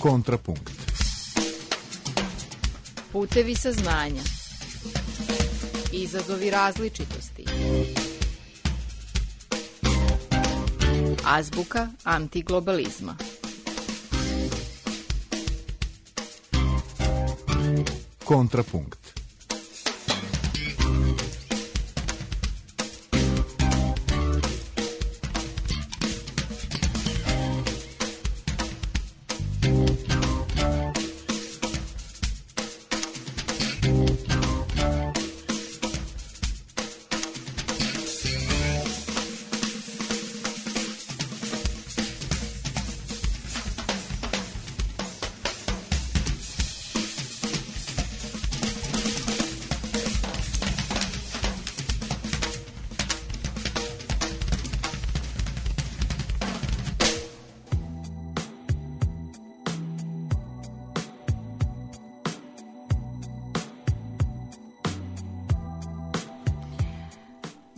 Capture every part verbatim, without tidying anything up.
Kontrapunkt. Putevi saznanja. Izazovi različitosti. Azbuka antiglobalizma. Kontrapunkt.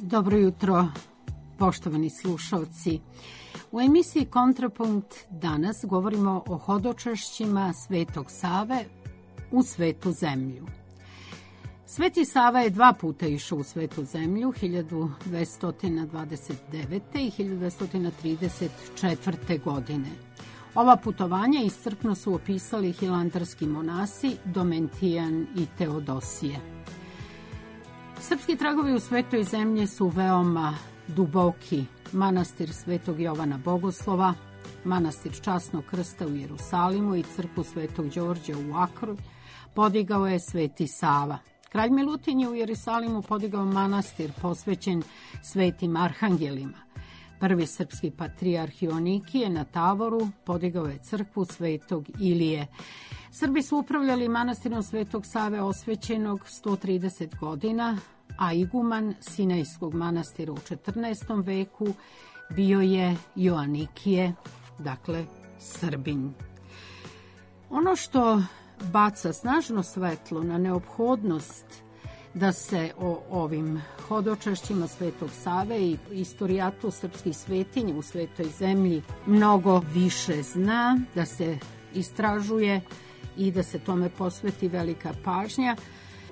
Dobro jutro, poštovani slušalci. U emisiji Kontrapunkt danas govorimo o hodočašćima Svetog Save u Svetu zemlju. Sveti Sava je dva puta išao u Svetu zemlju, hiljadu dvesta dvadeset devete. i hiljadu dvesta trideset četvrte. godine. Ova putovanja iscrpno su opisali hilandarski monasi Domentijan i Teodosije. Srpski tragovi u Svetoj zemlji su veoma duboki. Manastir Svetog Jovana Bogoslova, manastir Časnog krsta u Jerusalimu i crkvu Svetog Đorđa u Akru podigao je Sveti Sava. Kralj Milutin je u Jerusalimu podigao manastir posvećen svetim arhangelima. Prvi srpski patrijarh Joanikije na Tavoru podigao je crkvu Svetog Ilije. Srbi su upravljali manastirom Svetog Save osvećenog sto trideset godina, a iguman Sinajskog manastira u četrnaestom veku bio je Joanikije, dakle Srbin. Ono što baca snažno svetlo na neophodnost da se o ovim hodočašćima Svetog Save i istorijatu srpskih svetinja u Svetoj zemlji mnogo više zna, da se istražuje i da se tome posveti velika pažnja.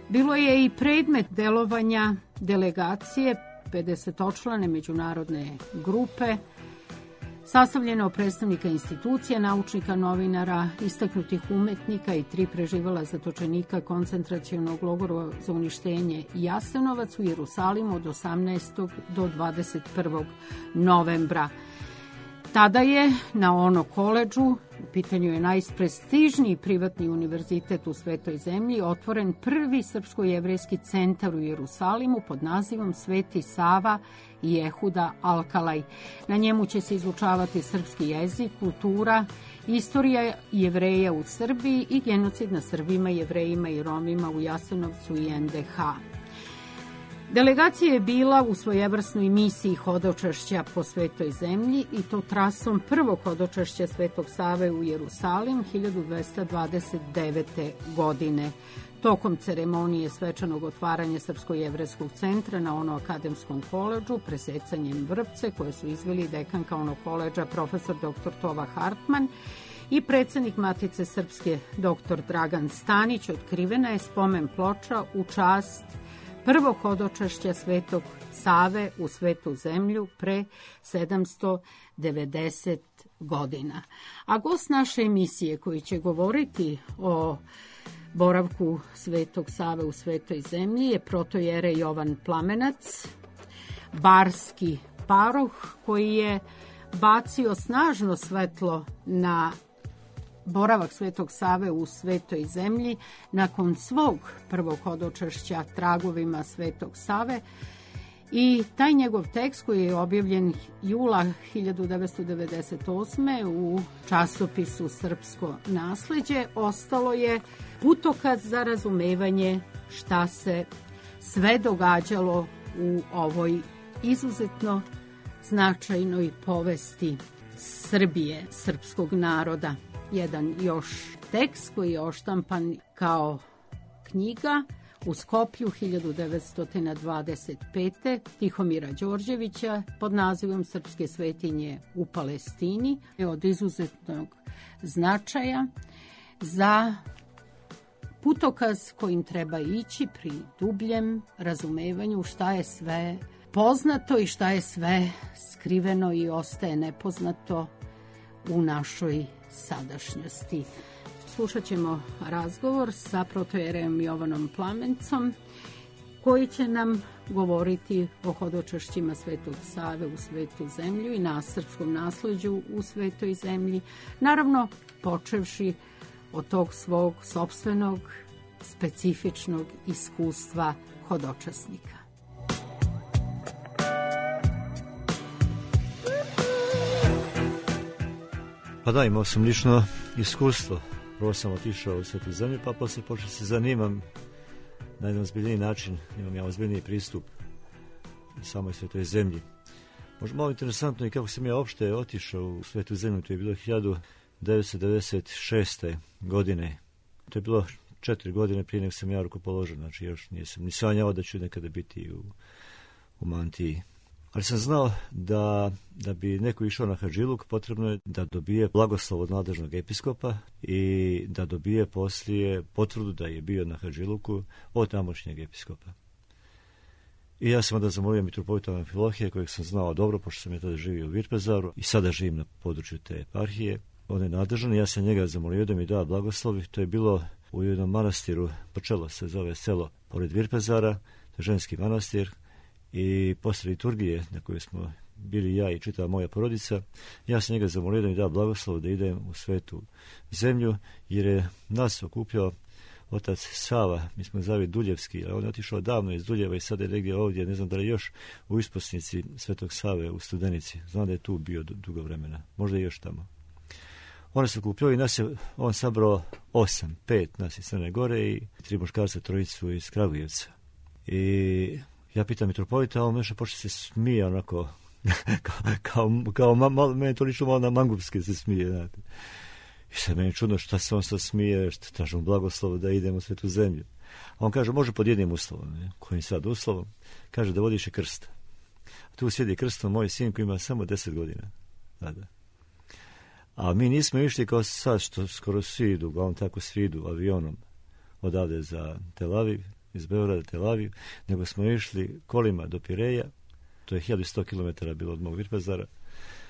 Bilo je i predmet delovanja delegacije pedesetočlane međunarodne grupe, sastavljena od predstavnika institucija, naučnika, novinara, istaknutih umetnika i tri preživala zatočenika koncentracionog logora za uništenje Jasenovac u Jerusalimu od osamnaestog do dvadeset prvog novembra. Tada je na Ono koledžu, u pitanju je najprestižniji privatni univerzitet u Svetoj zemlji, otvoren prvi srpsko-jevrejski centar u Jerusalimu pod nazivom Sveti Sava i Jehuda Alkalaj. Na njemu će se izučavati srpski jezik, kultura, istorija Jevreja u Srbiji i genocid na Srbima, Jevrejima i Romima u Jasenovcu i en de ha. Delegacija je bila u svojevrsnoj misiji hodočašća po Svetoj zemlji i to trasom prvog hodočašća Svetog Save u Jerusalim hiljadu dvesta dvadeset devete. godine. Tokom ceremonije svečanog otvaranja Srpsko-jevrejskog centra na Ono akademskom koledžu, presecanjem vrpce koje su izveli dekanka Ono koledža profesor doktor Tova Hartman i predsednik Matice Srpske doktor Dragan Stanić, otkrivena je spomen ploča u čast prvog hodočašća Svetog Save u Svetu zemlju pre sedamsto devedeset godina. A gost naše emisije koji će govoriti o boravku Svetog Save u Svetoj zemlji je protojere Jovan Plamenac, barski paroh koji je bacio snažno svetlo na boravak Svetog Save u Svetoj zemlji nakon svog prvog hodočašća tragovima Svetog Save i taj njegov tekst koji je objavljen jula hiljadu devetsto devedeset osme. u časopisu Srpsko nasleđe ostalo je putokaz za razumevanje šta se sve događalo u ovoj izuzetno značajnoj povesti Srbije, srpskog naroda. Jedan još tekst koji je oštampan kao knjiga u Skoplju hiljadu devetsto dvadeset pete. Tihomira Đorđevića pod nazivom Srpske svetinje u Palestini je od izuzetnog značaja za putokaz kojim treba ići pri dubljem razumevanju šta je sve poznato i šta je sve skriveno i ostaje nepoznato u našoj sadašnjosti. Slušat ćemo razgovor sa protojerejem Jovanom Plamencom, koji će nam govoriti o hodočašćima Svetog Save u Svetu zemlju i na srpskom nasleđu u Svetoj zemlji, naravno počevši od tog svog sopstvenog specifičnog iskustva hodočasnika. Pa da, imao sam lično iskustvo. Prvo sam otišao u Svetu zemlju, pa posle počeo se zanimam na jedan ozbiljniji način. Imam ja ozbiljniji pristup samoj Svetoj zemlji. Možda malo interesantno i kako sam ja uopšte otišao u Svetu zemlju. To je bilo hiljadu devetsto devedeset šeste. godine. To je bilo četiri godine prije nego sam ja rukopoložen. Znači još nisam ni sanjao da ću nekada biti u, u mantiji. Ali sam znao da, da bi neko išao na hadžiluk, potrebno je da dobije blagoslov od nadležnog episkopa i da dobije poslije potvrdu da je bio na hadžiluku od tamošnjeg episkopa. I ja sam onda zamolio mitropolita Amfilohija, kojeg sam znao dobro, pošto sam je tada živio u Virpezaru i sada živim na području te eparhije. On je nadležan i ja sam njega zamolio da mi da blagoslovi. To je bilo u jednom manastiru, Počelo se zove selo pored Virpezara, to je ženski manastir. I posle liturgije na kojoj smo bili ja i čitava moja porodica, ja sam njega zamolio da mi da blagoslov da idem u Svetu zemlju, jer je nas okupljao otac Sava, mi smo zove Duljevski, a on je otišao davno iz Duljeva i sada je negdje ovdje, ne znam da je još u isposnici Svetog Save u Studenici, znam da je tu bio dugo vremena, možda i još tamo. On se okupljao i nas je, on sabrao osam, pet nas iz Crne Gore i tri muškarca, trojicu iz Kragujevca. I ja pitam mitropolita, a on nešto počne se smije onako, kao, kao, kao malo, meni to lično malo na mangupske se smije, znate. I sad meni je čudno šta se on sad smije, što tražem blagoslov da idem u Svetu zemlju. A on kaže, može pod jednim uslovom, ne? Kojim sad uslovom? Kaže da vodiš i krst. A tu sjedi krstom moj sin koji ima samo deset godina. Da, da. A mi nismo išli kao sad, što skoro svi idu, a on tako svi idu avionom odavde za Tel Aviv, iz Beograda Tel Aviv, nego smo išli kolima do Pireja, to je hiljadu sto kilometara bilo od mog Virpezara,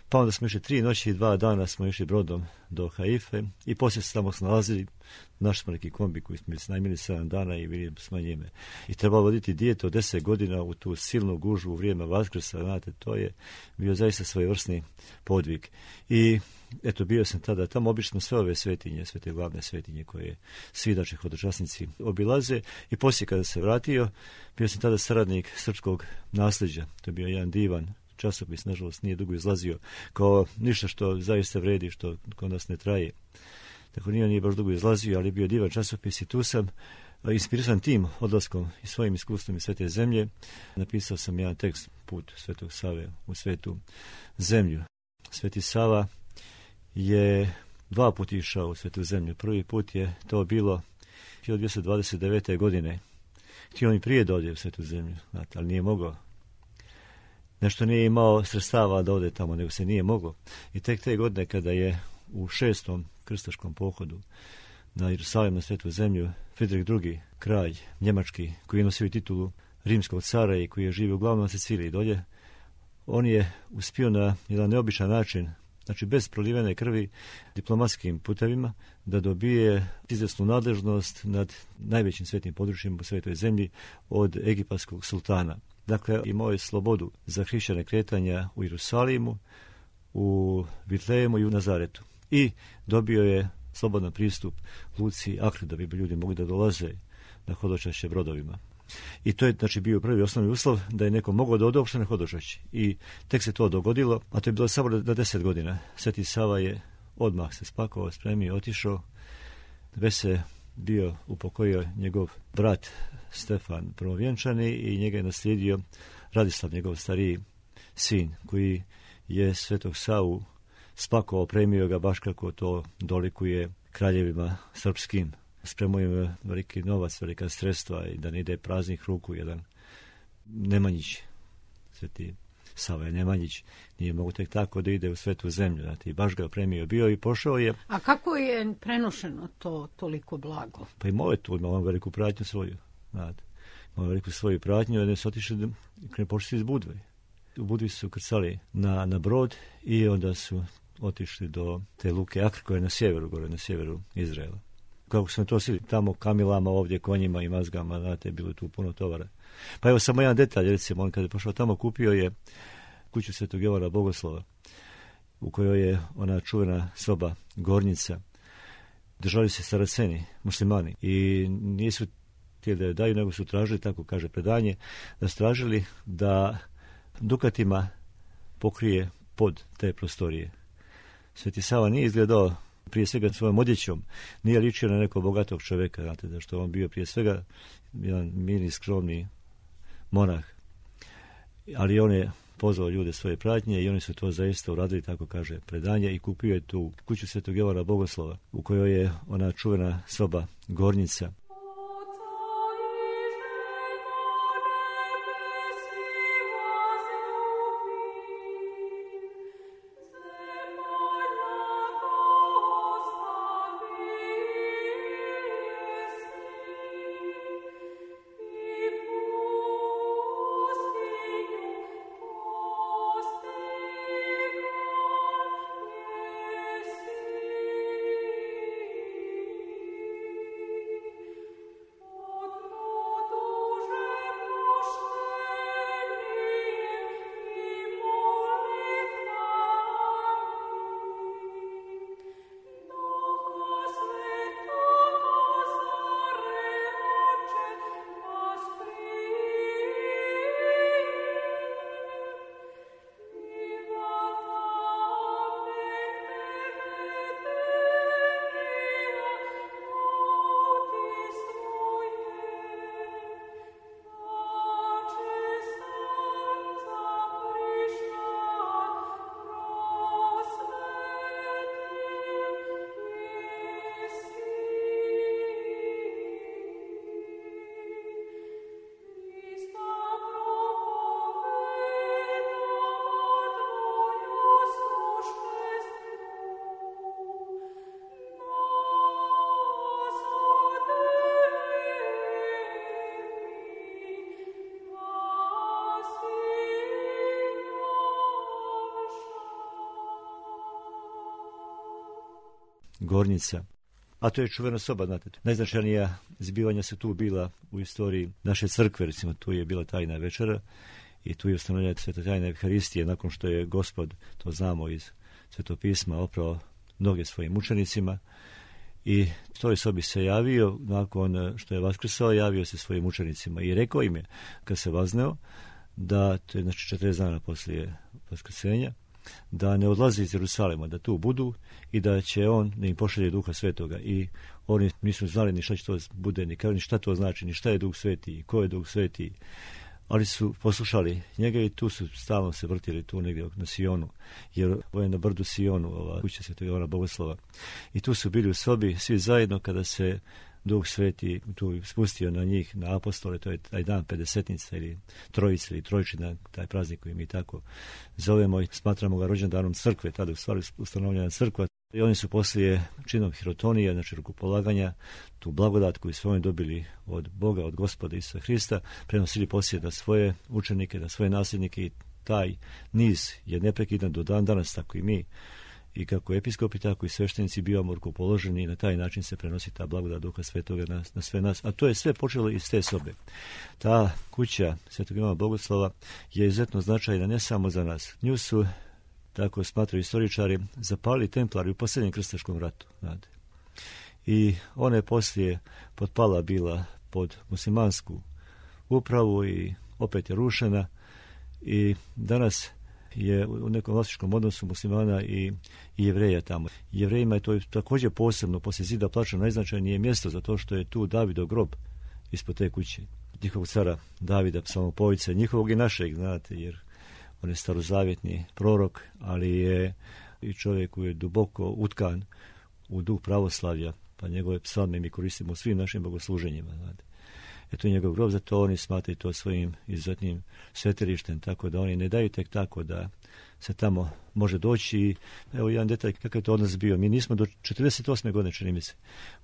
pa onda smo išli tri noći i dva dana smo išli brodom do Haife i poslije se tamo snalazili, našli smo neki kombi koji smo snajmili sedam dana i vidjeli smo njime. I trebalo voditi dijete od deset godina u tu silnu gužvu u vrijeme Vaskrsa, znate, to je bio zaista svojevrsni podvig. I eto, bio sam tada tamo, obično sve ove svetinje, sve te glavne svetinje koje svi dače hodočasnici obilaze i poslije kada se vratio, bio sam tada saradnik srpskog nasljeđa, to je bio jedan divan časopis, nažalost nije dugo izlazio, kao ništa što zaista vredi, što kod nas ne traje. Tako nije, nije baš dugo izlazio, ali bio divan časopis i tu sam inspirisan tim odlaskom i svojim iskustvom iz Svete zemlje. Napisao sam jedan tekst, Put Svetog Save u Svetu zemlju. Sveti Sava je dva puta išao u Svetu zemlju. Prvi put je to bilo hiljadu dvjesto dvadeset devete. godine. Htio on i prije da ode u Svetu zemlju, znate, ali nije mogao. Nešto nije imao sredstava da ode tamo, nego se nije moglo. I tek te godine kada je u šestom krstaškom pohodu na Jerusalim, na Svetu zemlju, Fridrik drugi. kralj njemački, koji je nosio titulu rimskog cara i koji je živio uglavnom na Siciliji dolje, on je uspio na jedan neobičan način, znači bez prolivene krvi, diplomatskim putevima, da dobije izvjesnu nadležnost nad najvećim svetim područjem u Svetoj zemlji od egipatskog sultana. Dakle, imao je slobodu za hrišćane kretanja u Jerusalimu, u Vitlejemu i u Nazaretu. I dobio je slobodan pristup luci Akri, da bi ljudi mogli da dolaze na hodočašće brodovima. I to je, znači, bio prvi osnovni uslov da je neko mogao da ode uopšte na hodočašće. I tek se to dogodilo, a to je bilo samo na deset godina. Sveti Sava je odmah se spakovao, spremio, otišao. Već se bio upokojio njegov brat Stefan Prvovjenčani i njega je naslijedio Radislav, njegov stariji sin, koji je Svetog Savu spakovao, premio ga baš kako to dolikuje kraljevima srpskim. spremujemo veliki novac, velika sredstva i da ne ide praznih ruku. Jedan Nemanjić, Sveti Sava Nemanjić, nije mogu tek tako da ide u svetu zemlju. Znate, i baš ga premio bio i pošao je. A kako je prenošeno to toliko blago? Pa imao je tu, imao veliku pratnju svoju. Znate, imao veliku svoju pratnju, da su otišli, počeli iz Budve. U Budvi su krcali na, na brod i onda su otišli do te luke Akr, koja je na sjeveru, gore na sjeveru Izraela. Kako smo to svi tamo kamilama, ovdje konjima i mazgama, znate, bilo tu puno tovara. Pa evo samo jedan detalj, recimo, on kada je pošao tamo, kupio je kuću Svetog Jovana Bogoslova, u kojoj je ona čuvena soba Gornjica. Držali se Saraceni, muslimani, i nisu htjeli da je daju, nego su tražili, tako kaže predanje, da su tražili da dukatima pokrije pod te prostorije. Sveti Sava nije izgledao prije svega svojom odjećom, nije ličio na nekog bogatog čovjeka, znate, da što on bio prije svega jedan mirni, skromni monah. Ali on je pozvao ljude svoje pratnje i oni su to zaista uradili, tako kaže predanje, i kupio je tu kuću Svetog Jovana Bogoslova, u kojoj je ona čuvena soba Gornjica. Gornjica. A to je čuvena soba, znate. Najznačajnija zbivanja su tu bila u istoriji naše crkve, recimo, tu je bila tajna večera i tu je ustanovljena sveta tajna Evharistije, nakon što je Gospod, to znamo iz Svetopisma, oprao noge svojim učenicima i toj sobi se javio, nakon što je vaskrsao, javio se svojim učenicima i rekao im je, kad se vazneo, da, to je znači četrdeset dana poslije vaskrsenja, da ne odlaze iz Jerusalema, da tu budu i da će on, da im pošalje Duha Svetoga. I oni nisu znali ni šta će to bude, ni, ni šta to znači, ni šta je Duh Sveti, i ko je Duh Sveti. Ali su poslušali njega i tu su stalno se vrtili tu negdje na Sionu, jer ovo je na brdu Sionu, ova kuća Svetog Jovana Bogoslova. I tu su bili u sobi svi zajedno kada se Duh Sveti tu spustio na njih, na apostole, to je taj dan Pedesetnica ili Trojica ili Trojčina, taj praznik koji mi tako zovemo i smatramo ga rođendanom crkve, tada u stvari ustanovljena crkva. I oni su poslije činom hirotonija, znači rukopolaganja, tu blagodat koju su oni dobili od Boga, od Gospoda Isusa Hrista, prenosili poslije na svoje učenike, na svoje nasljednike i taj niz je neprekidan do dan danas, tako i mi. I kako episkopi, tako i sveštenici bivamo rukopoloženi i na taj način se prenosi ta blagodat Duha Svetoga na, na sve nas. A to je sve počelo iz te sobe. Ta kuća Svetog Jovana Bogoslova je izuzetno značajna ne samo za nas. Nju su, tako smatraju istoričari, zapali templari u posljednjem krstaškom ratu. Znate. I ona je poslije potpala bila pod muslimansku upravu i opet je rušena i danas je u nekom vlasničkom odnosu muslimana i, i jevreja tamo. Jevrejima je to također posebno poslije zida plača najznačajnije mjesto, zato što je tu Davidov grob ispod te kuće. Njihovog cara Davida, psalmopovica, njihovog i našeg, znate, jer on je starozavjetni prorok, ali je i čovjek koji je duboko utkan u duh pravoslavlja pa njegove psalme mi koristimo u svim našim bogosluženjima. Znate. Eto njegov grob, zato oni smatraju to svojim izuzetnim svetilištem, tako da oni ne daju tek tako da se tamo može doći. I evo jedan detalj kakav je to odnos bio. Mi nismo do četrdeset osme godine, čini mi se,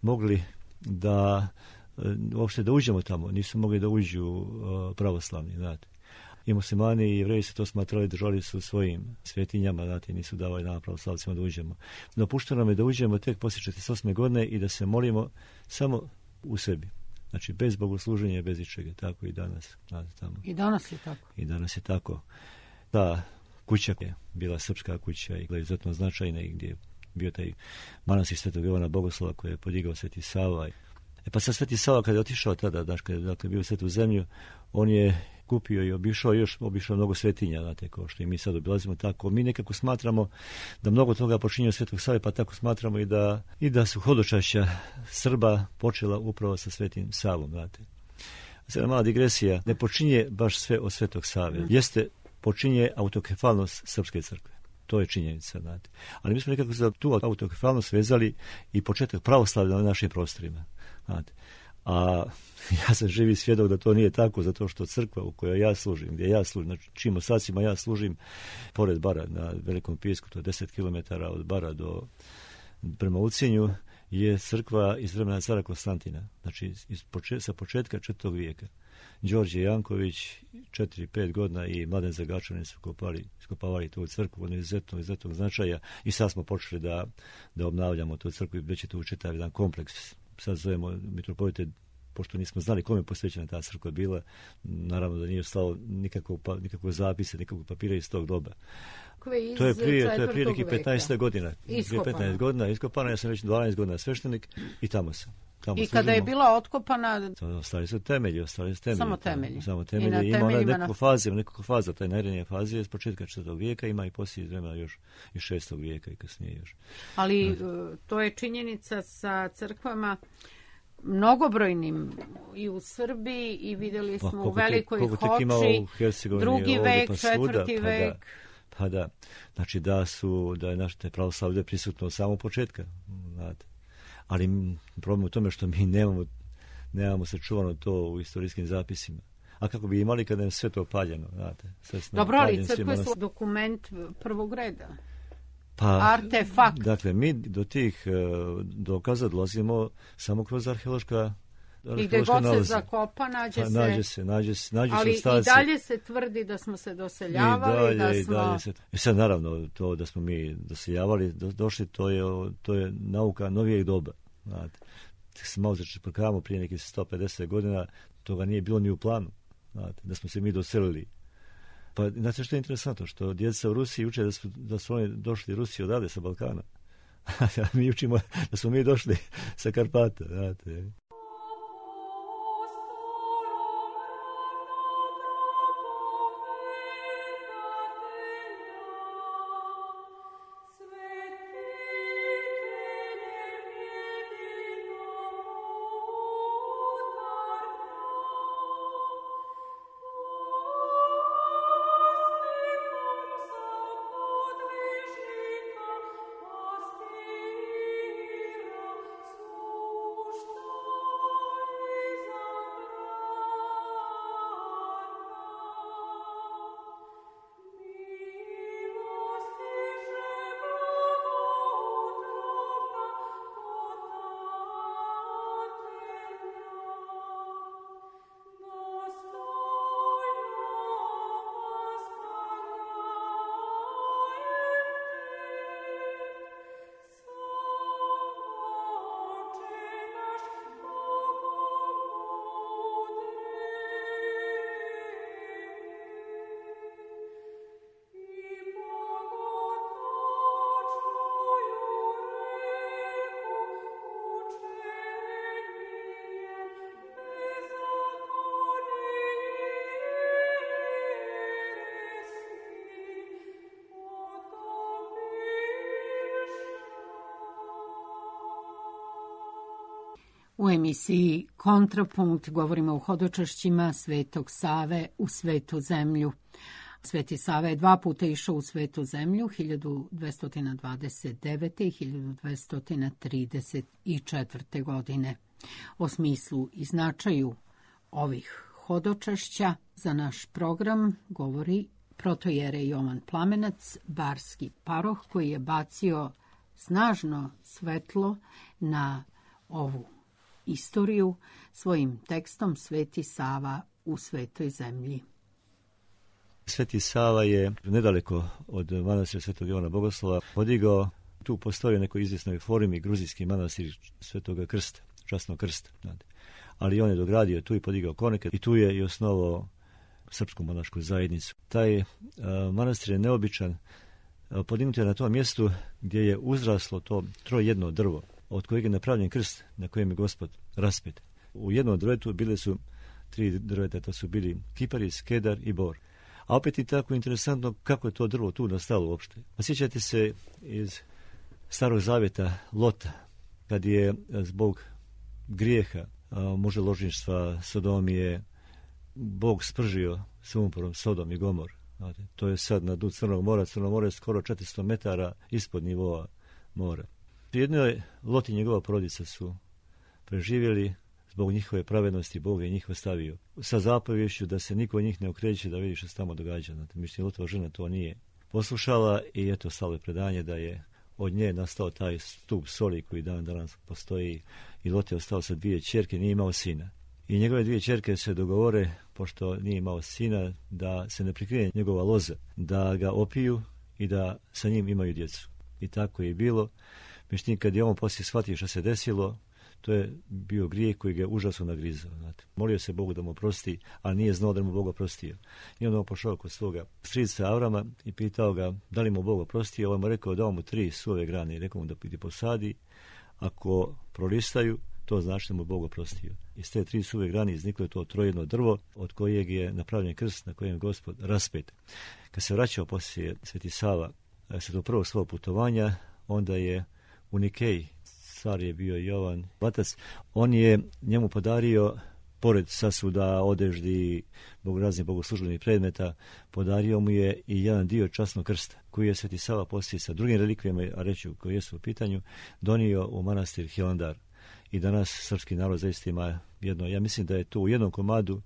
mogli da uopšte da uđemo tamo, nisu mogli da uđu uh, pravoslavni, znate. I muslimani i jevreji su to smatrali, držali su svojim svetinjama, znate, nisu davali nama pravoslavcima da uđemo. No pušteno nam je da uđemo tek poslije četrdeset osme godine i da se molimo samo u sebi. Znači, bez bogosluženja, bez ičega, tako i danas. Znate, tamo. I danas je tako. I danas je tako. Ta kuća je bila srpska kuća i izuzetno značajna i gdje je bio taj manastir Svetog Jovana Bogoslova koji je podigao Sveti Sava. E pa sad Sveti Sava kada je otišao tada, znači kada je dakle, bio u Svetu zemlju, on je kupio i obišao još obišao mnogo svetinja, znate, kao što i mi sad obilazimo tako. Mi nekako smatramo da mnogo toga počinje od Svetog Save, pa tako smatramo i da, i da su hodočašća Srba počela upravo sa Svetim Savom, znate. Sada mala digresija, ne počinje baš sve od Svetog Save. Mm. Jeste, počinje autokefalnost Srpske crkve. To je činjenica, znate. Ali mi smo nekako za tu autokefalnost vezali i početak pravoslavlja na našim prostorima, znate. A ja sam živi svjedok da to nije tako, zato što crkva u kojoj ja služim, gdje ja služim, znači čim ostacima ja služim, pored Bara na Velikom Pijesku, to je deset kilometara od Bara do prema Ucinju, je crkva iz vremena cara Konstantina, znači iz počet, sa početka četvrtog vijeka. Đorđe Janković, četiri pet godina i Mladen Zagačanin su kopali, skopavali tu crkvu, ono izuzetnog, izuzetnog značaja i sad smo počeli da, da obnavljamo tu crkvu i već je tu čitav jedan kompleks. Sad zovemo mitropolite, pošto nismo znali kome je posvećena ta crkva bila, naravno da nije ostalo nikakvog, pa, nikakvog zapisa, nikakvog papira iz tog doba. Iz to je prije, to je prije nekih petnaest godina. Iskopano. Prije petnaest godina iskopano, ja sam već dvanaest godina sveštenik i tamo sam. Tamo I služimo. Kada je bila otkopana... Ostali su temelji, ostali su temelji. Samo temelji. Samo temelji. Ima ona nekoliko faze, nekoliko faza, taj najranije faze je s početka četvrtog vijeka, ima i poslije vremena još i šestog vijeka i kasnije još. Ali no. To je činjenica sa crkvama mnogobrojnim i u Srbiji i vidjeli smo pa, u Velikoj Hoči, drugi vek, pa četvrti pa vek. Da, pa da, znači da su, da je naše pravoslavlje prisutno od samog početka, znate. Ali problem u tome što mi nemamo, nemamo sačuvano to u istorijskim zapisima. A kako bi imali kada je sve to paljeno, znate. Dobro, ali crkve su dokument prvog reda. Pa, artefakt. Dakle, mi do tih uh, dokaza dolazimo samo kroz arheološka i gdje god se zakopa, nađe pa, se... Nađe se, nađe se, nađe ali se ostaci. I dalje se tvrdi da smo se doseljavali, I dalje, da smo... I dalje se... I sad, naravno, to da smo mi doseljavali, do, došli, to je, to je nauka novijeg doba. Znate, se malo začeprkavamo prije nekih sto pedeset godina, toga nije bilo ni u planu, znate, da smo se mi doselili. Pa, znate što je interesantno, što djeca u Rusiji uče da su, da su oni došli Rusiji odavde sa Balkana. Mi učimo da smo mi došli sa Karpata, znate. U emisiji Kontrapunkt govorimo o hodočašćima Svetog Save u Svetu zemlju. Sveti Sava je dva puta išao u Svetu zemlju, hiljadu dvesta dvadeset devete. i hiljadu dvesta trideset četvrte. godine. O smislu i značaju ovih hodočašća za naš program govori protojerej Jovan Plamenac, barski paroh, koji je bacio snažno svetlo na ovu istoriju svojim tekstom Sveti Sava u Svetoj zemlji. Sveti Sava je nedaleko od manastira Svetog Jovana Bogoslova podigao, tu postoji u nekoj izvjesnoj formi gruzijski manastir Svetoga Krsta, časnog krsta. Ali on je dogradio tu i podigao konike i tu je i osnovao srpsku monašku zajednicu. Taj uh, manastir je neobičan, uh, podignut je na tom mjestu gdje je uzraslo to trojedno drvo, od kojeg je napravljen krst na kojem je Gospod raspet. U jednom drvetu bile su tri drveta, to su bili kiparis, kedar i bor. A opet i tako interesantno kako je to drvo tu nastalo uopšte. Pa sjećate se iz Starog zavjeta Lota, kad je zbog grijeha, muželožništva, sodomije, Bog spržio sumporom Sodom i Gomor. To je sad na dnu Crnog mora. Crno more je skoro četiristo metara ispod nivoa mora. Jedno je Lot i njegova porodica su preživjeli. Zbog njihove pravednosti Bog je njih ostavio. Sa zapovješću da se niko od njih ne okreće da vidi što se tamo događa. Mišljenje Lotova žena to nije poslušala i eto stalo je predanje da je od nje nastao taj stup soli koji dan danas postoji i Lot je ostao sa dvije ćerke, nije imao sina. I njegove dvije ćerke se dogovore, pošto nije imao sina, da se ne prikrije njegova loza, da ga opiju i da sa njim imaju djecu. I tako je bilo. Međutim, kad je on poslije shvatio što se desilo, to je bio grijeh koji ga je užasno nagrizao. Znate. Molio se Bogu da mu oprosti, ali nije znao da mu Bog oprostio. I onda on pošao kod svoga strica Avrama i pitao ga da li mu Bog oprostio. On mu rekao, dao mu tri suve grane i rekao mu da ih posadi. Ako prolistaju, to znači da mu Bog oprostio. Iz te tri suve grane izniklo je to trojedno drvo od kojeg je napravljen krst na kojem je Gospod raspet. Kad se vraćao poslije Sveti Sava sa tog prvog svog putovanja, onda je u Nikeji, car je bio Jovan Vatac, on je njemu podario, pored sasuda, odeždi, raznih bogoslužbenih predmeta, podario mu je i jedan dio časnog krsta, koji je Sveti Sava poslije sa drugim relikvijama, a reći koji jesu u pitanju, donio u manastir Hilandar. I danas srpski narod zaista ima jedno, ja mislim da je to u jednom komadu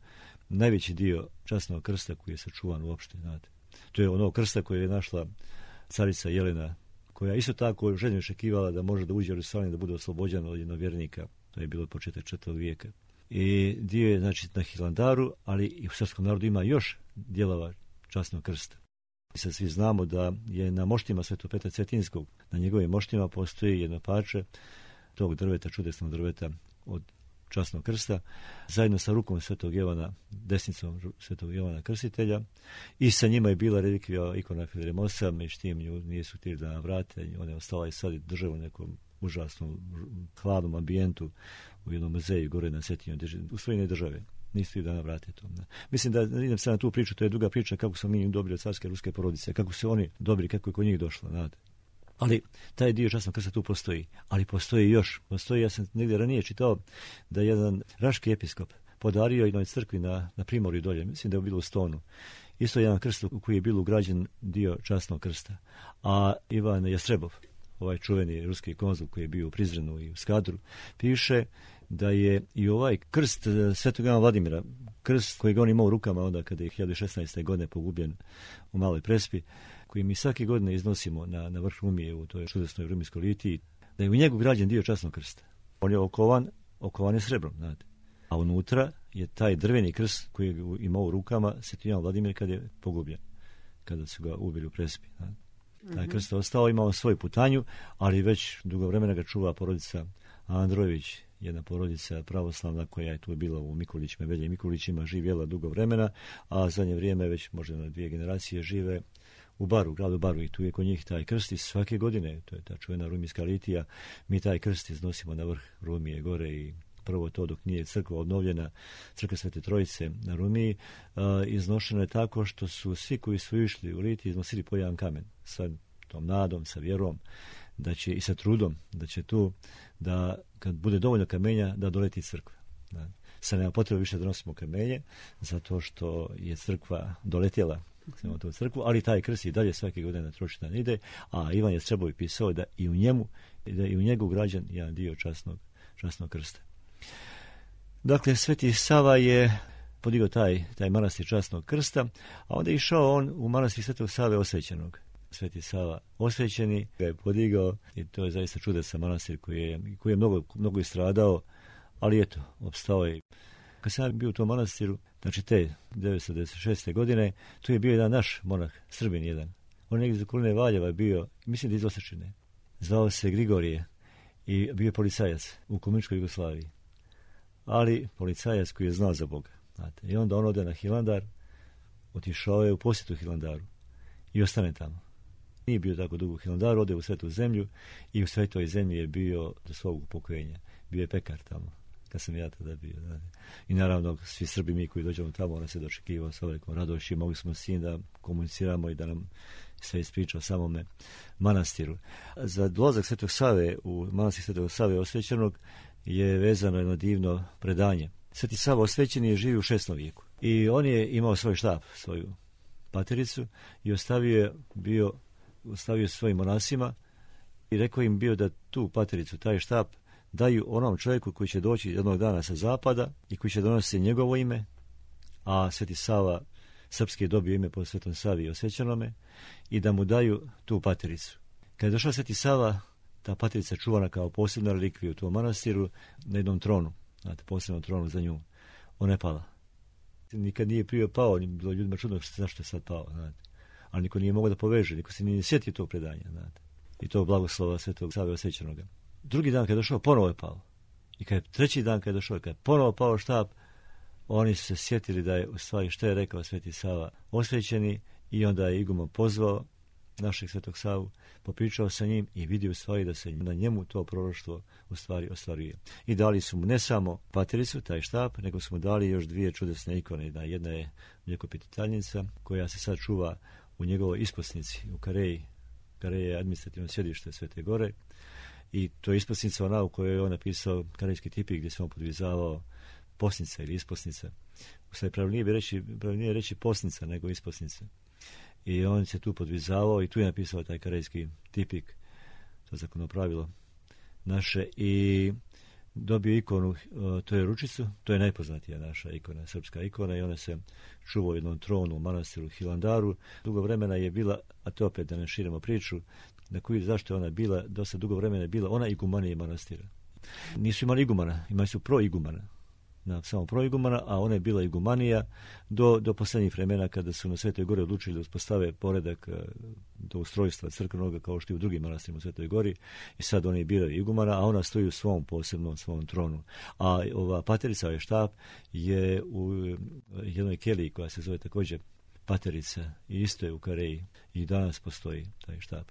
najveći dio časnog krsta koji je sačuvan uopšte. Znate. To je ono krsta koje je našla carica Jelena, koja isto tako željno očekivala da može da uđe u Jerusalim, da bude oslobođen od jednovjernika. To je bilo od početka četvrtog vijeka. I dio je znači na Hilandaru, ali i u srpskom narodu ima još dijelova časnog krsta. I sad svi znamo da je na moštima Svetog Petra Cetinskog, na njegovim moštima postoji jedno parče tog drveta, čudesnog drveta od časnog krsta, zajedno sa rukom Svetog Jovana, desnicom Svetog Jovana Krstitelja, i sa njima je bila relikvija ikona Filemosa, međutim nju nisu htjeli da navrate, ona je ostala i sad i država u nekom užasnom hladnom ambijentu u jednom muzeju gore na Cetinju, u svojine države. Nisu htjeli da navrate to. Mislim da idem sad na tu priču, to je duga priča kako smo mi dobili od carske ruske porodice, kako su oni dobili, kako je kod njih došlo, znate. Ali taj dio časnog krsta tu postoji. Ali postoji još. Postoji, ja sam negdje ranije čitao da jedan raški episkop podario jednoj crkvi na, na Primorju dolje, mislim da je bilo u Stonu, isto jedan krst u koji je bilo ugrađen dio časnog krsta. A Ivan Jastrebov, ovaj čuveni ruski konzul koji je bio u Prizrenu i u Skadru, piše da je i ovaj krst Svetog Ivana Vladimira, krst koji ga on imao u rukama onda kada je hiljadu šesnaeste. godine pogubljen u Maloj Prespi, koji mi svake godine iznosimo na, na vrh Rumije u toj čudesnoj rumijskoj litiji, da je u njegu građen dio časnog krsta. On je okovan, okovan je srebrom, znate. A unutra je taj drveni krst koji je imao u rukama Sveti Ivan Vladimir kada je pogubljen, kada su ga ubili u Prespi. Znate. Taj krst je ostao, imao svoju putanju, ali već dugo vremena ga čuva porodica Androjević, jedna porodica pravoslavna koja je tu bila u Mikulićima, Velje Mikulićima, živjela dugo vremena, a zadnje vrijeme već možda na dvije generacije žive u Baru, gradu Baru, i tu je kod njih taj krst i svake godine, to je ta čuvena rumijska litija, mi taj krst iznosimo na vrh Rumije gore i prvo to dok nije crkva obnovljena, crkva Svete Trojice na Rumiji, uh, iznošeno je tako što su svi koji su išli u litiji iznosili po jedan kamen, sa tom nadom, sa vjerom, da će i sa trudom, da će tu, da kad bude dovoljno kamenja, da doleti crkva. Da. Sad nema potrebe više da nosimo kamenje, zato što je crkva doletjela u tu crkvu, ali taj krst i dalje svake godine na Trošćan ide, a Ivan je Srebovi pisao da i u njemu, da i u njegu ugrađen jedan dio časnog, časnog krsta. Dakle, Sveti Sava je podigao taj, taj manastir časnog krsta, a onda je išao on u manastir Svetog Save Osvećenog. Sveti Sava Osvećeni ga je podigao i to je zaista čudesan manastir koji je, koji je mnogo, mnogo istradao, ali eto, opstao je. Kad sam bio u tom manastiru, znači te devetsto devedeset šeste. godine, tu je bio jedan naš monah, Srbin jedan. On negdje iz okoline Valjeva je bio, mislim da iz Osečine. Zvao se Grigorije i bio je policajac u komunističkoj Jugoslaviji. Ali policajac koji je znao za Boga. Znate. I onda on ode na Hilandar, otišao je u posjetu Hilandaru i ostane tamo. Nije bio tako dugo u Hilandaru, ode u Svetu zemlju i u Svetoj zemlji je bio do svog upokojenja. Bio je pekar tamo, kad sam ja tada bio. Znate. I naravno, svi Srbi mi koji dođemo tamo, ona se dočekivao sa velikom radošću i mogli smo s njim da komuniciramo i da nam sve ispriča o samome manastiru. Za dolazak Svetog Save u manastir Svetog Save Osvećenog je vezano jedno divno predanje. Sveti Sava Osvećeni je živio u šestom vijeku i on je imao svoj štab, svoju patericu i ostavio je bio ostavio svojim monasima i rekao im bio da tu patericu, taj štab, daju onom čovjeku koji će doći jednog dana sa zapada i koji će donositi njegovo ime, a Sveti Sava srpski je dobio ime po Svetom Savi Osvećenome i da mu daju tu patericu. Kad je došao Sveti Sava, ta paterica je čuvana kao posebna relikvija u tom manastiru na jednom tronu, znate, posebnom tronu za nju. Ona je pala. Nikad nije prije pao, bilo ljudima čudno zašto je sad pao, znate. Ali niko nije mogao da poveže, niko se nije sjetio tog predanja, znate. I to blagoslova Svetog Save Osvećenoga. Drugi dan kad je došao, ponovo je pao. I kad je treći dan kad je došao, kad je ponovo pao štab, oni su se sjetili da je u stvari što je rekao Sveti Sava Osvećeni i onda je iguman pozvao našeg Svetog Savu, popričao sa njim i vidio u stvari da se na njemu to proroštvo u stvari ostvaruje. I dali su mu ne samo patericu, taj štab, nego su mu dali još dvije čudesne ikone. Da, jedna je mljekopititaljnica koja se sad čuva u njegovoj isposnici u Kareji. Kareja je administrativno sjedište Svete Gore i to je isposnica ona u kojoj je on napisao karejski tipik gdje se on podvizavao posnica ili isposnica. U stvari pravilnije bi reći, pravilnije reći posnica nego isposnica. I on se tu podvizavao i tu je napisao taj karejski tipik, to zakonno pravilo naše, i dobio ikonu, to je ručicu, to je najpoznatija naša ikona, srpska ikona, i ona se čuva u jednom tronu u manastiru Hilandaru. Dugo vremena je bila, a to opet da ne širimo priču, na koju zašto je ona bila, dosta dugo vremena je bila ona igumanija manastira. Nisu imali igumana, imali su proigumana. Na samo proigumana, a ona je bila igumanija do, do posljednjih vremena kada su na Svetoj Gori odlučili da uspostave poredak do ustrojstva crkvenog kao što i u drugim manastirima u Svetoj Gori, i sad oni biraju igumana, a ona stoji u svom posebnom svom tronu. A ova paterica, ovaj štab, je u jednoj keliji koja se zove također paterica i isto je u Kareji i danas postoji taj štab.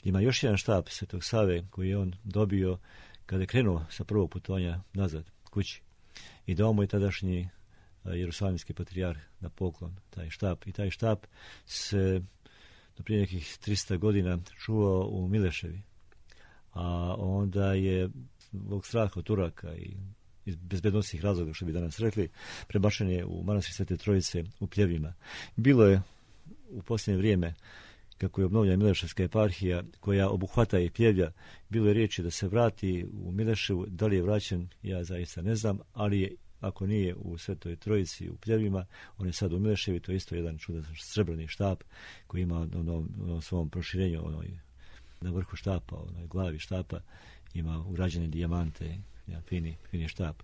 Ima još jedan štab Svetog Save koji je on dobio kada je krenuo sa prvog putovanja nazad kući. I dao mu je tadašnji jerusalimski patrijarh na poklon taj štab. I taj štab se do prije nekih tristo godina čuvao u Mileševi. A onda je zbog straha od Turaka i iz bezbednostnih razloga, što bi danas rekli, prebačen je u manastir Svete Trojice u Pljevljima. Bilo je u posljednje vrijeme, kako je obnovljena Mileševska eparhija koja obuhvata i Pljevlja, bilo je riječi da se vrati u Mileševu. Da li je vraćen, ja zaista ne znam, ali je, ako nije u Svetoj Trojici u Pljevljima, on je sad u Mileševi. To je isto jedan čudan srebrni štab koji ima na onom, onom svom proširenju, onoj, na vrhu štapa, onoj glavi štapa, ima urađene dijamante, jedan fini, fini štab.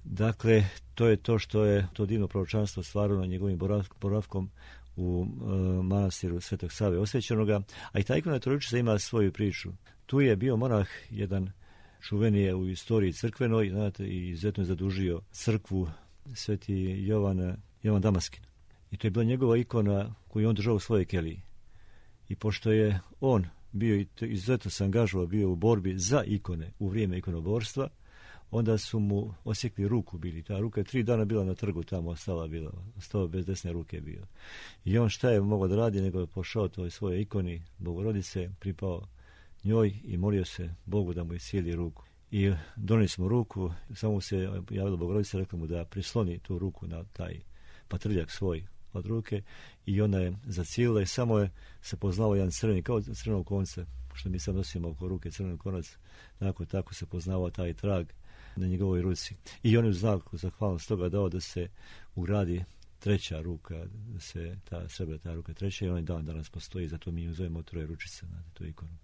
Dakle, to je to što je to divno proročanstvo stvarno njegovim boravkom u e, manastiru Svetog Save Osvećenoga, a i ta ikona Trojičica ima svoju priču. Tu je bio monah jedan čuvenije u istoriji crkvenoj, znate, i izuzetno je zadužio crkvu, Sveti Jovan, Jovan Damaskin. I to je bila njegova ikona koju on držao u svojoj keliji. I pošto je on bio, izuzetno se angažovao, bio u borbi za ikone u vrijeme ikonoborstva, onda su mu osjekli ruku bili. Ta ruka je tri dana bila na trgu tamo, ostala bila, ostao bez desne ruke bio. I on šta je mogao da radi, nego je pošao toj svoje ikoni Bogorodice, pripao njoj i molio se Bogu da mu iscijeli ruku. I donijeli smo ruku, samo se javila Bogorodica, rekla mu da prisloni tu ruku na taj patrljak svoj od ruke i ona je zacilila i samo je se poznao jedan crveni, kao crvenog konca, što mi sad nosimo oko ruke, crveni konac, tako, tako se poznavao taj trag na njegovoj ruci. I on je u znaku zahvalnost toga dao da se ugradi treća ruka, da se ta srebra, ta ruka treća i onaj dan danas postoji, zato mi ju zovemo troje ručice na tu ikonu.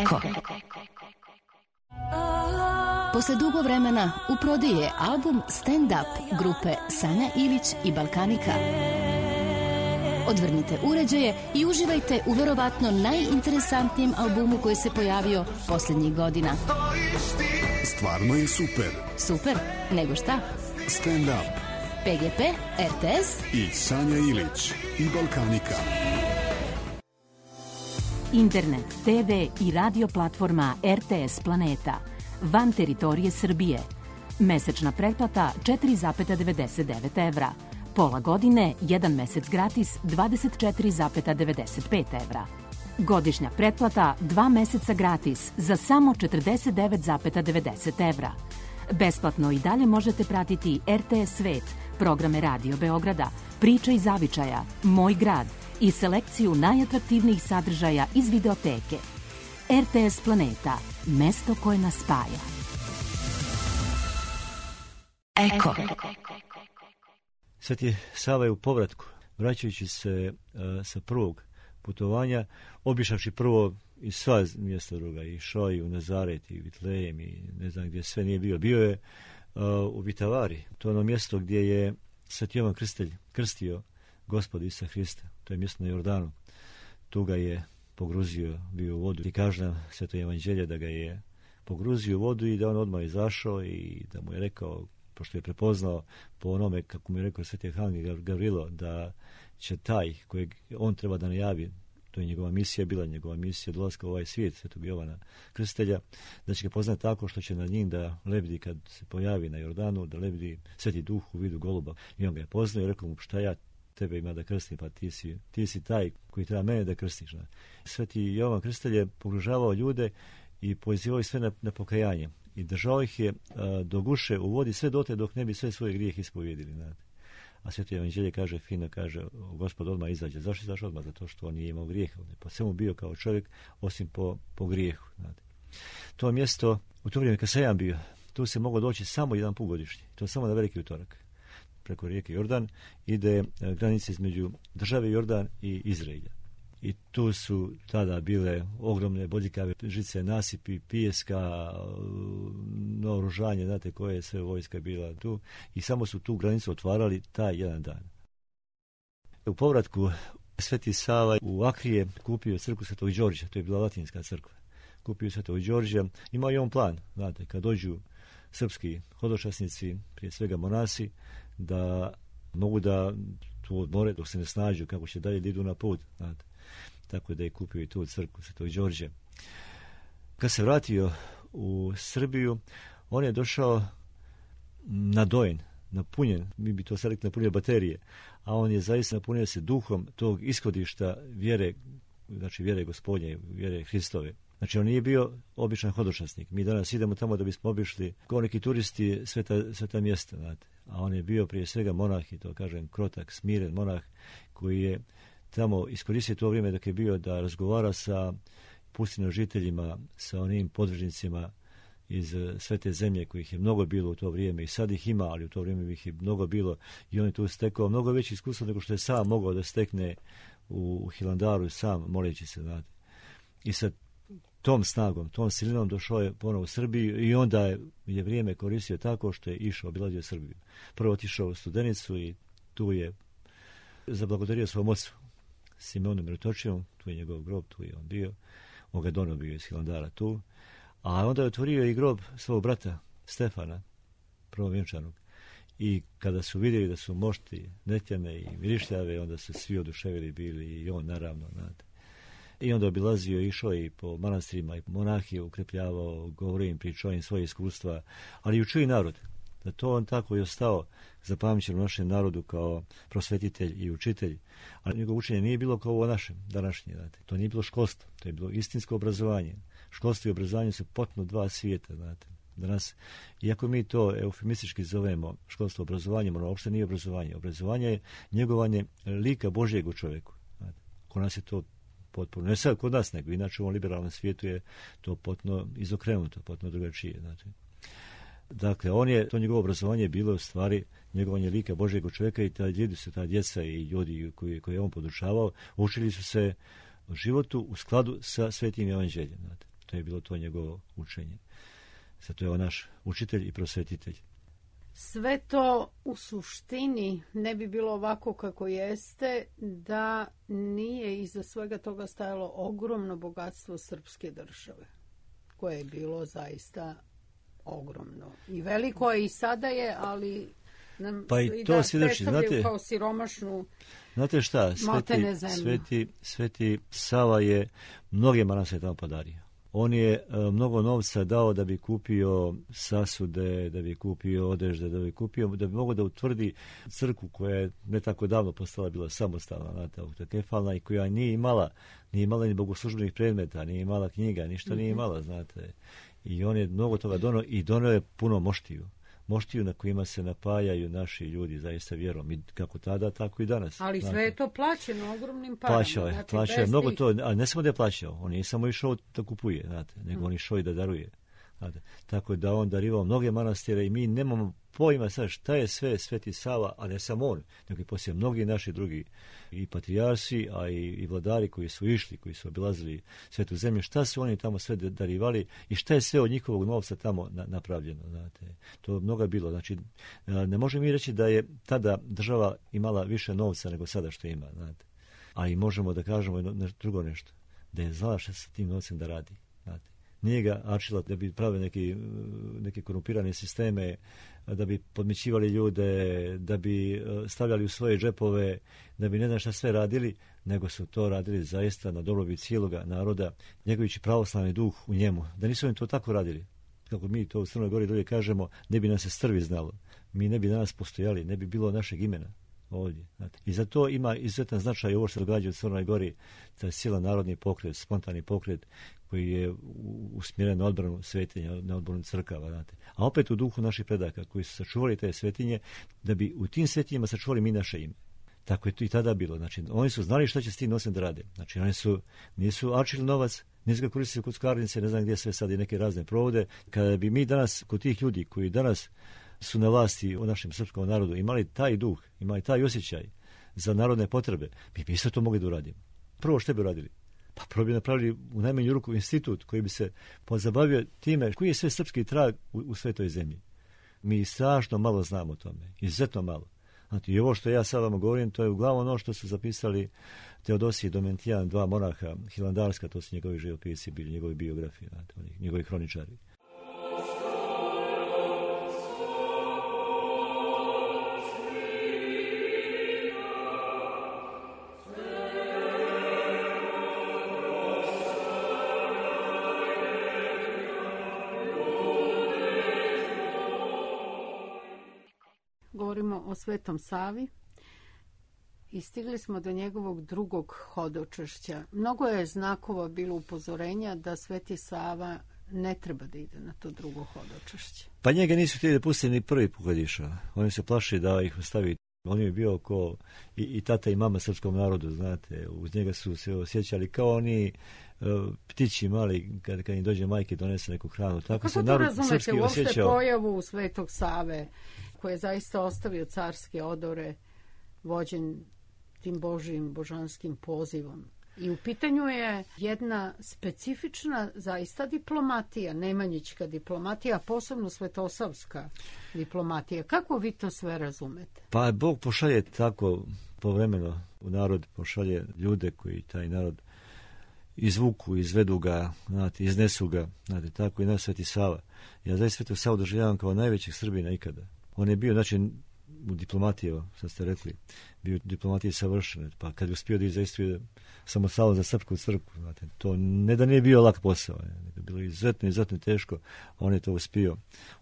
Eko. Posle dugo vremena u prodaji je album Stand Up grupe Sanja Ilić i Balkanika. Odvrnite uređaje i uživajte u verovatno najinteresantnijem albumu koji se pojavio posljednjih godina. Stvarno je super. Super? Nego šta? Stand Up. P G P, R T S i Sanja Ilić i Balkanika. Internet, te ve i radio platforma R T S Planeta. Van teritorije Srbije. Mesečna pretplata četiri zarez devedeset devet evra. Pola godine, jedan mesec gratis dvadeset četiri zarez devedeset pet evra. Godišnja pretplata dva meseca gratis za samo četrdeset devet zarez devedeset evra. Besplatno i dalje možete pratiti R T S Svet, programe Radio Beograda, Priča i zavičaja, Moj grad i selekciju najatraktivnijih sadržaja iz videoteke. R T S Planeta, mesto koje nas spaja. Eko. Sveti Sava je u povratku, vraćajući se uh, sa prvog putovanja, obišavši prvo i sva mjesta druga, i Šoj, u Nazaret, i Vitlejem, i ne znam gdje sve nije bio. Bio je uh, u Vitavari, to je ono mjesto gdje je Sveti Jovan Krstitelj krstio Gospoda Isusa Hrista, to je mjesto na Jordanu. Tu ga je pogruzio, bio u vodu. I kaže nam Sveto evanđelje da ga je pogruzio u vodu i da on odmah izašao i da mu je rekao, pošto je prepoznao po onome, kako mu je rekao Sveti Arhangel Gavrilo, da će taj kojeg on treba da najavi, to je njegova misija, bila njegova misija dolaska u ovaj svijet Svetog Jovana Krstitelja, da će ga poznati tako što će na njim da lebdi kad se pojavi na Jordanu, da lebdi Sveti Duh u vidu goluba. I on ga je poznao i rekao mu, šta ja tebe ima da krstim, pa ti si, ti si taj koji treba mene da krstiš. Ne? Sveti Jovan Krstitelj je pogružavao ljude i pozivao ih sve na, na pokajanje. I držao ih je a, do guše u vodi sve dote dok ne bi sve svoje grijeh ispovijedili. Znate. A Sveto evanđelje kaže fino, kaže, Gospod odmah izađe. Zašto izašao odmah? Zato što on nije imao grijeha. Po svemu bio kao čovjek, osim po, po grijehu. Znate. To mjesto, u to vrijeme kad sam ja bio, tu se moglo doći samo jedan put godišnje. To samo na Veliki utorak. Preko rijeke Jordan ide granica između države Jordan i Izraelja. I tu su tada bile ogromne bodljikave žice, nasipi, pijeska, naoružanje, znate koje je sve vojska bila tu. I samo su tu granicu otvarali taj jedan dan. U povratku Sveti Sava u Akrije kupio crkvu Svetog Đorđa, to je bila latinska crkva. Kupio Svetog Đorđa, imao je on plan, znate, kad dođu srpski hodočasnici, prije svega monasi, da mogu da tu odmore dok se ne snađu kako će dalje da idu na put. Znate. Tako da je kupio i tu crkvu Svetog Đorđa. Kad se vratio u Srbiju, on je došao na Dojen, napunjen, mi bi to sad rekli napunio baterije, a on je zaista napunio se duhom tog ishodišta vjere, znači vjere Gospodnje, vjere Hristove. Znači on nije bio običan hodočasnik. Mi danas idemo tamo da bismo obišli kao neki turisti sve ta, sve ta mjesta, znate. A on je bio prije svega monah, i to kažem krotak, smiren monah, koji je tamo iskoristio to vrijeme dok je bio da razgovara sa pustinjim žiteljima, sa onim podružnicima iz sve te zemlje kojih je mnogo bilo u to vrijeme i sad ih ima, ali u to vrijeme ih je mnogo bilo i on je tu stekao mnogo veći iskustvo nego što je sam mogao da stekne u, u Hilandaru sam moleći se, znate. I sa tom snagom, tom silinom došao je ponovo u Srbiju i onda je, je vrijeme koristio tako što je išao, obilazio Srbiju. Prvo otišao u Studenicu i tu je zablagodario svom ocu Simeonu Mirotočivom, tu je njegov grob, tu je on bio, on ga donio bio iz Hilandara tu, a onda je otvorio i grob svog brata Stefana, prvovjenčanog. I kada su vidjeli da su mošti netjane i mirišljave, onda su svi oduševili bili i on naravno, znate. I onda obilazio, išao i po manastirima i monahije ukrepljavao, govorio im, pričao im svoje iskustva, ali i učio i narod. Da to on tako i ostao zapamćen u našem narodu kao prosvetitelj i učitelj. Ali njegovo učenje nije bilo kao ovo našem, današnje. Znate. To nije bilo školstvo, to je bilo istinsko obrazovanje. Školstvo i obrazovanje su potpuno dva svijeta, znate. Danas, iako mi to eufemistički zovemo školstvo obrazovanjem, ono uopšte nije obrazovanje. Obrazovanje je njegovanje lika Božjeg u čovjeku. Znate. Kod nas je to potpuno, ne sad kod nas, nego inače u ovom liberalnom svijetu je to potpuno izokrenuto, potpuno drugačije. Znate. Dakle, on je, to njegovo obrazovanje bilo u stvari njegovanje lika Božjeg čovjeka i ta ljudi su, ta djeca i ljudi koji, koji je on podučavao, učili su se životu u skladu sa svetim evanđeljem. Znate. To je bilo to njegovo učenje. Zato je on naš učitelj i prosvetitelj. Sve to u suštini ne bi bilo ovako kako jeste da nije iza svega toga stajalo ogromno bogatstvo srpske države, koje je bilo zaista ogromno. I veliko je i sada je, ali nam pa i to svjedoči, znate, kao siromašnu znate šta, sveti, sveti, sveti Sava je mnoge manastire tamo podario. On je uh, mnogo novca dao da bi kupio sasude, da bi kupio odežde, da bi kupio, da bi mogao da utvrdi crkvu koja je ne tako davno postala bila samostalna, znate, autokefalna i koja nije imala, nije imala ni bogoslužbenih predmeta, nije imala knjiga, ništa mm-hmm. nije imala, znate. I on je mnogo toga donio i donio je puno moštiju. Moštiju na kojima se napajaju naši ljudi zaista vjerom. I kako tada, tako i danas. Ali znate. Sve je to plaćeno ogromnim parama. Plaćao je, znači, plaćao je mnogo to, ali ne samo da je plaćao, on je samo išao da kupuje, znate, nego hmm. on išao i da daruje. Znate. Tako da on darivao mnoge manastire i mi nemamo pojma sad šta je sve Sveti Sava, a ne samo on, nego i poslije mnogi naši drugi i patrijarsi, a i, i vladari koji su išli, koji su obilazili svetu zemlju, šta su oni tamo sve darivali i šta je sve od njihovog novca tamo na, napravljeno. Znate. To je mnogo bilo. Znači, ne možemo mi reći da je tada država imala više novca nego sada što ima. Znate. A i možemo da kažemo drugo nešto, da je znala šta sa tim novcem da radi. Znate. Nije ga arčila da bi pravili neki, neke korumpirane sisteme, da bi podmićivali ljude, da bi stavljali u svoje džepove, da bi ne znam šta sve radili, nego su to radili zaista na dobrobit cijeloga naroda, njegovići pravoslavni duh u njemu. Da nisu oni to tako radili, kako mi to u Crnoj Gori dolje kažemo, ne bi nam se strvi znalo. Mi ne bi danas postojali, ne bi bilo našeg imena ovdje. Znate. I zato ima izuzetan značaj ovo što se događa u Crnoj Gori, taj silan narodni pokret, spontani pokret koji je usmjeren na odbranu svetinja, na odbranu crkava. Znate. A opet u duhu naših predaka koji su sačuvali te svetinje, da bi u tim svetinjama sačuvali mi naše ime. Tako je to i tada bilo. Znači, oni su znali šta će s tim nosem da rade. Znači, oni su, nisu arčili novac, nisu ga koristili kod kockarnice, ne znam gdje sve sad i neke razne provode. Kada bi mi danas, kod tih ljudi koji danas su na vlasti u našem srpskom narodu, imali taj duh, imali taj osjećaj za narodne potrebe, mi bi isto to mogli da uradimo. Prvo što bi uradili? Pa prvo bi napravili u najmanju ruku institut koji bi se pozabavio time koji je sve srpski trag u, u svetoj zemlji. Mi strašno malo znamo o tome, izuzetno malo. Znači, i ovo što ja sad vam govorim, to je uglavnom ono što su zapisali Teodosije Domentijan, dva monaha hilandarska, to su njegovi životopisi bili, njegovi biografije, znate, njegovi hroničari. o Svetom Savi i stigli smo do njegovog drugog hodočašća. Mnogo je znakova bilo upozorenja da Sveti Sava ne treba da ide na to drugo hodočašće. Pa njega nisu htjeli da pusti ni prvi put kad išao. Oni se plašili da ih ostavi. On je bio ko i, i tata i mama srpskom narodu, znate. Uz njega su se osjećali kao oni uh, ptići mali kad, kad im dođe majke donese neku hranu. Tako kako se to narod razumete srpski uopšte osjećao. pojavu Svetog Save koji je zaista ostavio carske odore vođen tim Božijim, božanskim pozivom? I u pitanju je jedna specifična zaista diplomatija, nemanjićka diplomatija, posebno svetosavska diplomatija. Kako vi to sve razumete? Pa Bog pošalje tako povremeno u narod, pošalje ljude koji taj narod izvuku, izvedu ga, znate, iznesu ga, znate, tako i naš Sveti Sava. Ja zaista Svetog Savu doživljavam kao najvećeg Srbina ikada. On je bio, znači, u diplomatiji, sad ste rekli, bio u diplomatiji savršen, pa kad je uspio da izaistuje samostalno za srpsku crkvu, znate, to ne da nije bio lak posao, ne, da je bilo izuzetno, izuzetno teško, on je to uspio,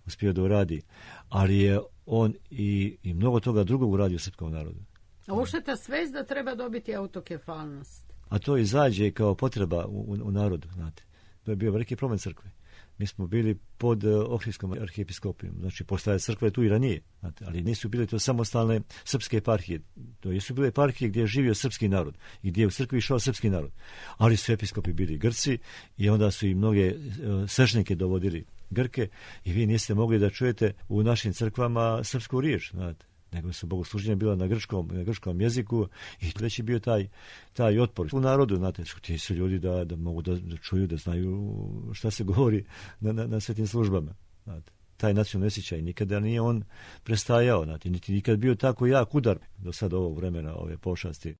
uspio da uradi, ali je on i, i mnogo toga drugog uradio srpskom narodu. A uopšte ta svest da treba dobiti autokefalnost? A to izađe kao potreba u, u, u narodu, znate. To je bio veliki problem crkve. Mi smo bili pod uh, Ohridskom arhijepiskopijom, znači postaje crkve tu i ranije, znate, ali nisu bile to samostalne srpske eparhije. To jesu bile eparhije gdje je živio srpski narod i gdje je u crkvi išao srpski narod. Ali su episkopi bili Grci i onda su i mnoge uh, svešnike dovodili Grke i vi niste mogli da čujete u našim crkvama srpsku riječ, znate. Nego su bogosluženja bila na grčkom, na grčkom jeziku i već je bio taj, taj otpor. U narodu, znate, ti su ljudi da, da mogu da, da čuju, da znaju šta se govori na, na, na svetim službama. Znate. Taj nacionalni osjećaj nikada nije on prestajao, znate, niti nikad bio tako jak udar do sada ovog vremena, ove pošasti.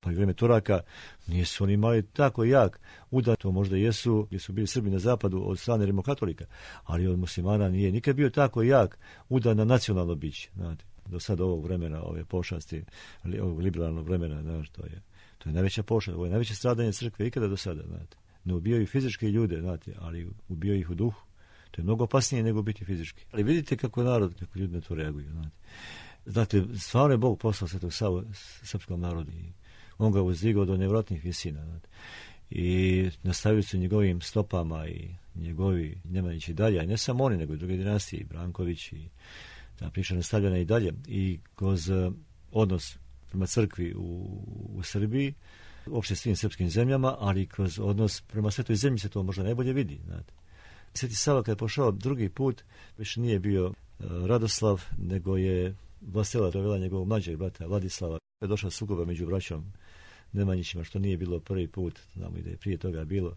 Pa i vreme Turaka nisu oni imali tako jak udar, to možda jesu, gdje su bili Srbi na zapadu od strane rimokatolika, ali od muslimana nije nikad bio tako jak udar na nacionalno biće, znate. Do sada ovog vremena, ove pošasti, ovog liberalnog vremena, znaš, to je, to je najveća pošast, ovo je najveće stradanje crkve ikada do sada, znate. Ne ubijaju fizički ljude, znate, ali ubijaju ih u duhu. To je mnogo opasnije nego biti fizički. Ali vidite kako narod, kako ljudi na to reaguju, znate. Znate, stvarno je Bog poslao Svetog Savu srpskom narodu i on ga uzdigao do nevjerojatnih visina, znate. I nastavili su njegovim stopama i njegovi Nemanjići dalje, a ne samo oni, nego i druge dinastije, i Branković i ta priča nastavljena i dalje i kroz uh, odnos prema crkvi u, u Srbiji, uopšte svim srpskim zemljama, ali kroz odnos prema svetoj zemlji se to možda najbolje vidi. Znate. Sveti Sava kad je pošao drugi put, više nije bio uh, Radoslav, nego je Vlastela dovela njegovog mlađeg brata Vladislava. Je došla sukoba među braćom Nemanjićima, što nije bilo prvi put, znamo i da je prije toga bilo,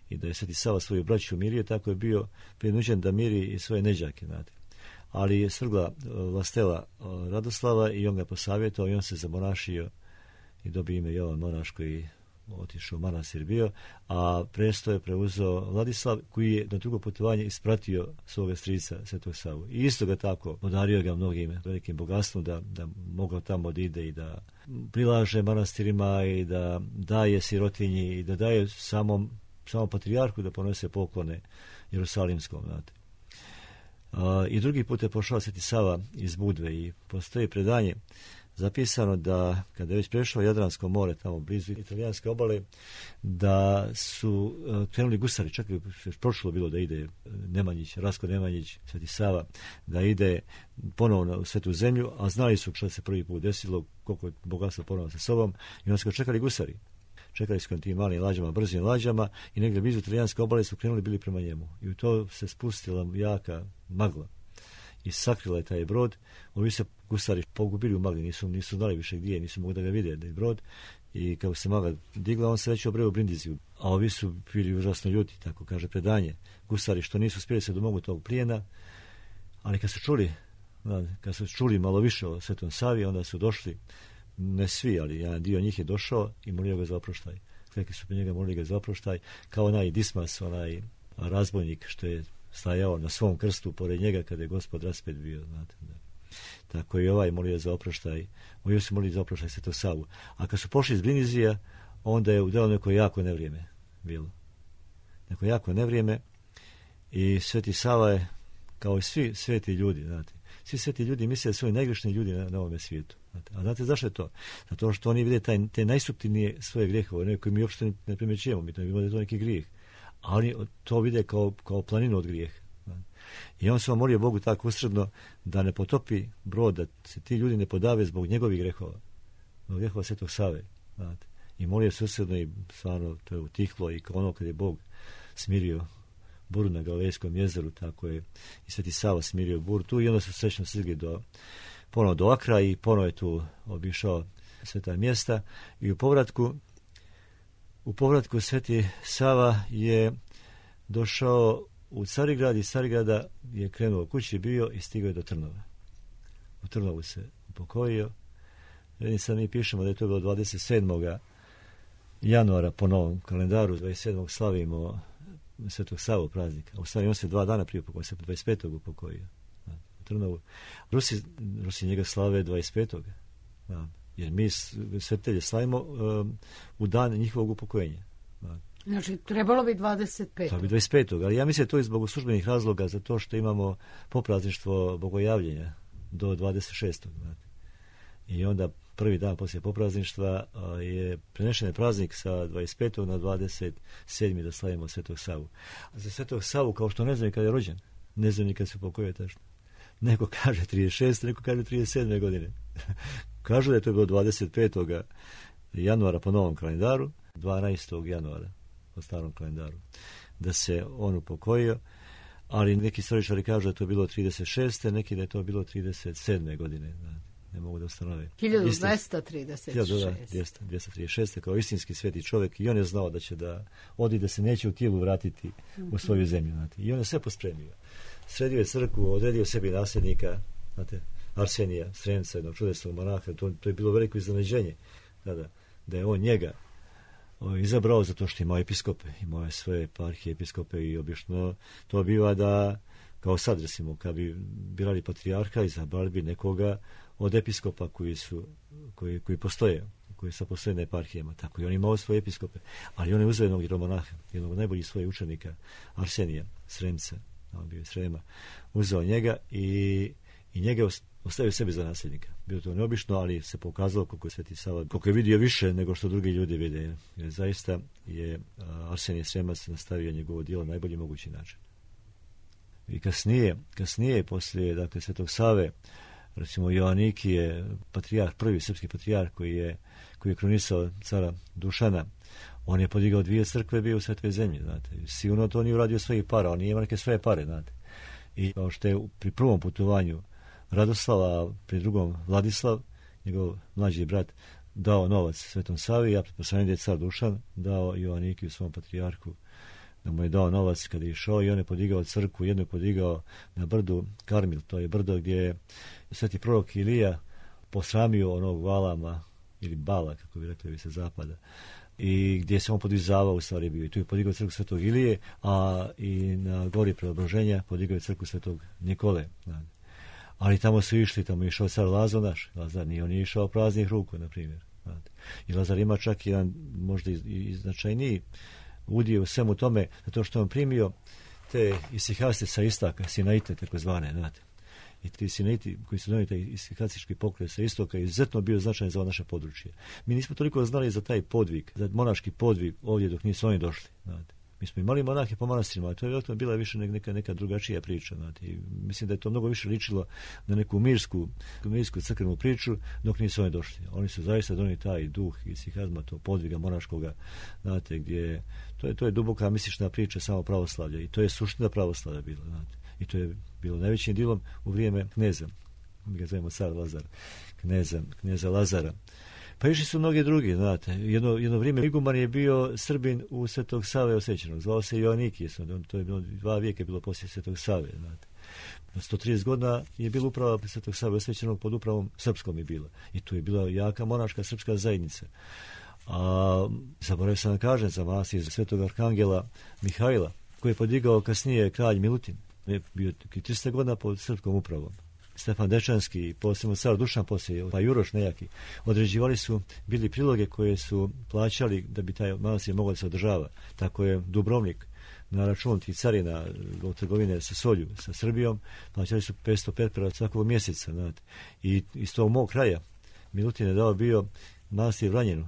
i da je Sveti Sava svoju braću mirio, tako je bio prinuđen da miri i svoje neđake, znate. Ali je svrgla Vlastela Radoslava i on ga posavjetao i on se zamonašio i dobio ime Jovan monaš koji otišao u manastir bio, a presto je preuzeo Vladislav koji je na drugo putovanje ispratio svoga strica Svetog Savu. I isto ga tako podario ga mnogim velikim bogatstvom da, da mogao tamo da ide i da prilaže manastirima i da daje sirotinji i da daje samom, samom patrijarhu da ponese poklone Jerusalimskom, znate. Uh, I drugi put je pošao Sveti Sava iz Budve i postoji predanje zapisano da kada je već prešao Jadransko more tamo blizu italijanske obale, da su uh, krenuli gusari, čak je prošlo bilo da ide Nemanjić, Rasko Nemanjić, Sveti Sava, da ide ponovno u Svetu zemlju, a znali su što se prvi put desilo, koliko je bogatstvo ponovno sa sobom i onda su ga čekali gusari. Čekali su tim malim lađama, brzim lađama i negdje blizu italijanske obale su krenuli bili prema njemu. I u to se spustila jaka magla i sakrila je taj brod. Ovi se gusari pogubili u magli, nisu, nisu znali više gdje, nisu mogli da ga vide da je brod. I kako se magla digla, on se već obreo u Brindiziju. A ovi su bili užasno ljuti, tako kaže predanje. Gusari što nisu uspjeli se domogu tog plijena, ali kad su čuli, kad su čuli malo više o Svetom Savi, onda su došli, ne svi, ali jedan dio njih je došao i molio ga za oproštaj. Kleki su po njega molili ga za oproštaj, kao onaj Dismas, onaj razbojnik što je stajao na svom krstu pored njega kada je Gospod raspet bio, znate. Da. Tako i ovaj molio za oproštaj, molio su molili za oproštaj Svetog Savu. A kad su pošli iz Brindizija, onda je udalo neko jako nevrijeme bilo. Neko jako nevrijeme i Sveti Sava je, kao i svi sveti ljudi, znate, svi sveti ljudi misle da su oni najgrešniji ljudi na, na ovome svijetu. Znate. A znate zašto je to? Zato što oni vide taj, te najsuptilnije svoje grijehove, one koje mi uopšte ne primjećujemo, mi to vidimo da je to neki grijeh. A oni to vide kao, kao planinu od grijeha. I on se molio Bogu tako usredno da ne potopi brod, da se ti ljudi ne podave zbog njegovih grehova, zbog grehova Svetog Save. Znate. I molio se usredno i stvarno to je utihlo i kao ono kad je Bog smirio buru na Galilejskom jezeru, tako je i Sveti Sava smirio buru tu i onda su srećno stigli do, ponovo do Akra i ponovo je tu obišao sve ta mjesta i u povratku u povratku Sveti Sava je došao u Carigrad i Carigrada je krenuo kući bio i stigao je do Trnova. U Trnovu se upokojio. Vidim sad mi pišemo da je to bilo dvadeset sedmog januara po novom kalendaru, dvadeset sedmog slavimo Svetog Savu praznika. U stvari on se dva dana prije upokojio, se dvadeset petog upokojio. U Trnovu. Rusi, Rusi njega slave dvadeset petog Da. Jer mi svetelje slavimo um, u dan njihovog upokojenja. Da. Znači, trebalo bi dvadeset petog To bi dvadeset petog ali ja mislim to je zbog službenih razloga, zato što imamo poprazništvo bogojavljenja do dvadeset šestog Znate. I onda prvi dan poslije poprazništva je prenešen je praznik sa dvadeset petog na dvadeset sedmi da slavimo Svetog Savu. A za Svetog Savu, kao što ne znam kada je rođen, ne znam ni kada se upokojio tačno. Neko kaže trideset šeste neko kaže trideset sedme godine Kažu da je to bilo dvadeset petog januara po novom kalendaru, dvanaestog januara po starom kalendaru, da se on upokojio, ali neki istoričari kažu da je to bilo trideset šeste neki da je to bilo trideset sedme godine Da, ne mogu da ustanove. hiljadu dvesta trideset šest dvjesto trideset šest kao istinski sveti čovjek i on je znao da će da odi, da se neće u tijelu vratiti mm-hmm. u svoju zemlju. Znate. I on je sve pospremio. Sredio je crkvu, odredio sebi nasljednika, znate, Arsenija, Sremca, jednog čudesnog monaha. To, to je bilo veliko iznenađenje da, da je on njega o, izabrao zato što imao episkope, imao je svoje eparhije, episkope i obično to biva da, kao sad recimo, kad bi birali patrijarha, izabrali bi nekoga od episkopa koji su, koji, koji postoje, koji su postoje na eparhijama, tako i on imao svoje episkope, ali on je uzeo jednog hieromonaha, jednog od najboljih svojih učenika, Arsenija, Sremca, on bio Srema, uzeo njega i, i njega ostavio sebi za nasljednika. Bilo to neobično, ali se pokazalo koliko je Sveti Sava, koliko je vidio više nego što drugi ljudi vide, jer zaista je Arsenije Sremac nastavio njegovo djelo na najbolji mogući način. I kasnije, kasnije poslije, dakle, Svetog Save, recimo Joaniki je patrijarh, prvi srpski patrijarh koji je, koji je kronisao cara Dušana. On je podigao dvije crkve, bio u Svetoj zemlji, znate. Sigurno to nije uradio svojih para, on nije imao neke svoje pare, znate. I kao što je pri prvom putovanju Radoslava, a pri drugom Vladislav, njegov mlađi brat, dao novac Svetom Savi, a pretpostavljam da je car Dušan dao Joaniki u svom patrijarhu, da mu je dao novac kada je išao i on je podigao crkvu, jednu je podigao na brdu Karmil, to je brdo gdje je sveti prorok Ilija posramio onog Valama ili Bala, kako bi rekli sa zapada, i gdje se on podizavao u stvari bio. I tu je podigao crkvu Svetog Ilije, a i na gori Preobroženja podigao je crkvu Svetog Nikole. Ali tamo su išli, tamo je išao car Lazar naš, Lazar nije on je išao praznih ruku, na primjer. I Lazar ima čak jedan možda i, i značajniji udio u svemu tome, zato što on primio te isihaste sa istaka, sinaite, tako zvane, znate. I ti sinaiti koji su donijeli taj isihastički pokret sa istoka je izuzetno bio značajan za ovo naše područje. Mi nismo toliko znali za taj podvig, za monaški podvig ovdje dok nisu oni došli, znate. Mi smo imali monahe po manastirima, a to je vjerojatno bila više neka, neka drugačija priča. Znate. I mislim da je to mnogo više ličilo na neku mirsku, mirsku crkvenu priču dok nisu oni došli. Oni su zaista donijeli taj duh i sihazma, to podviga monaškoga, znate, gdje to je, to je duboka mistična priča samo pravoslavlja i to je suština pravoslavlja bila. Znate. I to je bilo najvećim dilom u vrijeme kneza, mi ga zovemo car Lazar, kneza, kneza Lazara. Pa išli su mnogi drugi, znate. Jedno, jedno vrijeme iguman je bio Srbin u Svetog Save osvećenog. Zvao se Joaniki, to je bilo dva vijeka bilo poslije Svetog Save, znate. sto trideset godina je bila uprava Svetog Save osvećenog pod upravom srpskom je bila. I tu je bila jaka monaška srpska zajednica. A zaboravio sam da kažem za manastir Svetog Arhangela Mihajla, koji je podigao kasnije kralj Milutin. Je bio tristo godina pod srpskom upravom. Stefan Dečanski, posebno car Dušan poslije, pa Juroš nejaki, određivali su bili priloge koje su plaćali da bi taj manastir mogao da se održava. Tako je Dubrovnik na račun tih carina od trgovine sa solju, sa Srbijom, plaćali su petsto pepera svakog mjeseca. Znate. I iz tog mog kraja Milutin je dao bio manastir Vranjenu.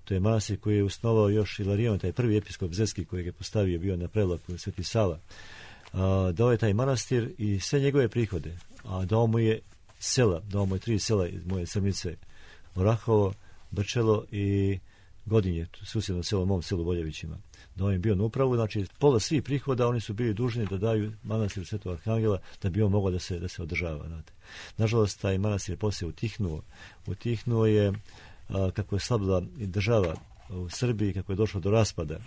To je manastir koji je osnovao još Ilarion, taj prvi episkop Zerski koji je postavio bio na Prelaku Sveti Sava. A, dao je taj manastir i sve njegove prihode. A dao mu je sela, dao mu je tri sela iz moje Crnice, Orahovo, Brčelo i Godinje, susjedno selo mom selu Boljevićima. Da on je bio na upravu, znači pola svih prihoda oni su bili dužni da daju manastiru Svetog Arhangela da bi on mogao da se, da se održava. Znate. Nažalost, taj manastir je poslije utihnuo. Utihnuo je a, kako je slabila država u Srbiji, kako je došlo do raspada,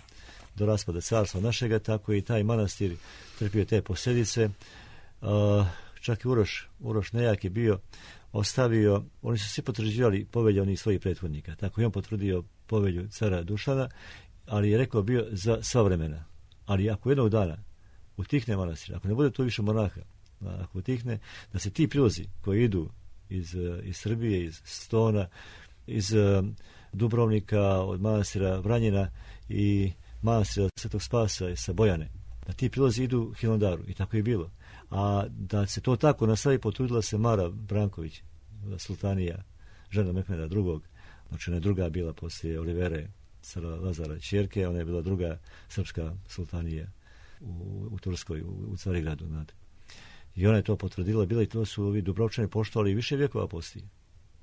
do raspada carstva našega, tako i taj manastir trpio te posljedice. A, čak i Uroš, Uroš Nejak je bio ostavio, oni su svi potvrđivali povelje onih svojih prethodnika. Tako i on potvrdio povelju cara Dušana, ali je rekao bio za sva vremena. Ali ako jednog dana utihne manastir, ako ne bude tu više monaha, ako utihne, da se ti prilozi koji idu iz, iz Srbije, iz Stona, iz Dubrovnika, od manastira Vranjena i manastira Svetog Spasa sa Bojane, da ti prilozi idu Hilandaru. I tako je bilo. A da se to tako nastavi, potrudila se Mara Branković, sultanija, žena Mehmeda drugog, znači ona je druga bila poslije Olivere, cara Lazara ćerke, ona je bila druga srpska sultanija u, u Turskoj, u, u Carigradu. Znate. I ona je to potvrdila, bila i to su ovi Dubrovčani poštovali više vjekova poslije.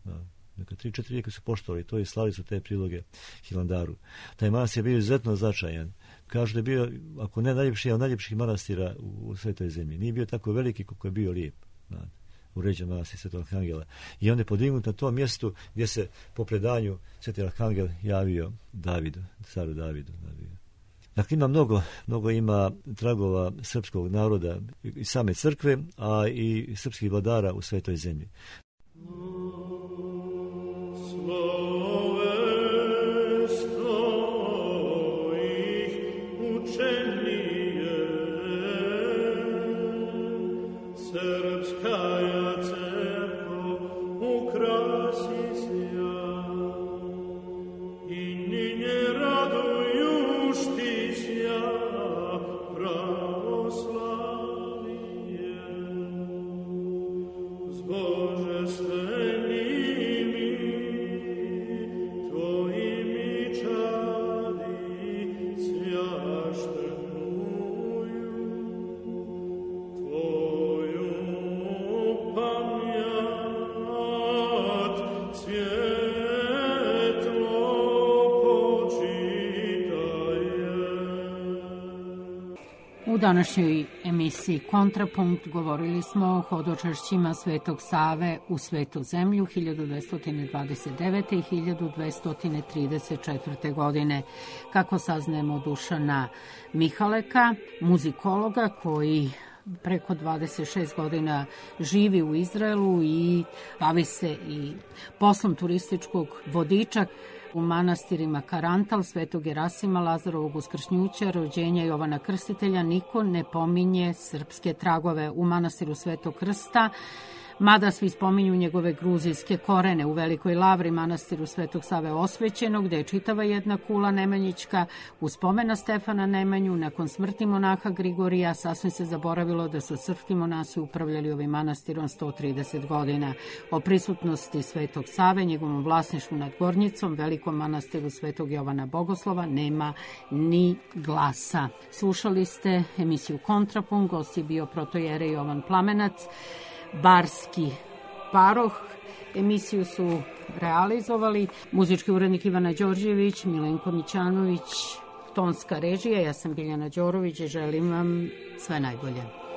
Da. Neka tri, četiri vijeka su poštovali to i slali su te priloge Hilandaru. Taj manastir je bio izuzetno značajan. Kažu da je bio, ako ne najljepši, od najljepših manastira u, u Svetoj zemlji. Nije bio tako veliki koliko je bio lijep. Znate. Uređen manastir Svetog Arhangela. I on je podignut na tom mjestu gdje se po predanju Sveti Arhangel javio Davidu, caru Davidu. Dakle, ima mnogo, mnogo ima tragova srpskog naroda i same crkve, a i srpskih vladara u Svetoj zemlji. U današnjoj emisiji Kontrapunkt govorili smo o hodočašćima Svetog Save u Svetu zemlju hiljadu dvesta dvadeset devete. i hiljadu dvesta trideset četvrte. godine. Kako saznajemo od Dušana Mihaleka, muzikologa koji preko dvadeset šest godina živi u Izraelu i bavi se i poslom turističkog vodiča u manastirima Karantal, Svetog Gerasima, Lazarovog uskršnjuća, rođenja Jovana Krstitelja, niko ne pominje srpske tragove. U manastiru Svetog Krsta, mada svi spominju njegove gruzijske korene, u Velikoj Lavri, manastiru Svetog Save osvećeno, gde je čitava jedna kula Nemanjićka u spomena Stefana Nemanju. Nakon smrti monaha Grigorija sasvim se zaboravilo da su srpski monasi upravljali ovim manastirom sto trideset godina. O prisutnosti Svetog Save, njegovom vlasništvu nad Gornjicom, velikom manastiru Svetog Jovana Bogoslova nema ni glasa. Slušali ste emisiju Kontrapunkt, gost je bio protojere Jovan Plamenac, Barski paroh. Emisiju su realizovali muzički urednik Ivana Đorđević, Milenko Mićanović, tonska režija. Ja sam Biljana Đorović i želim vam sve najbolje.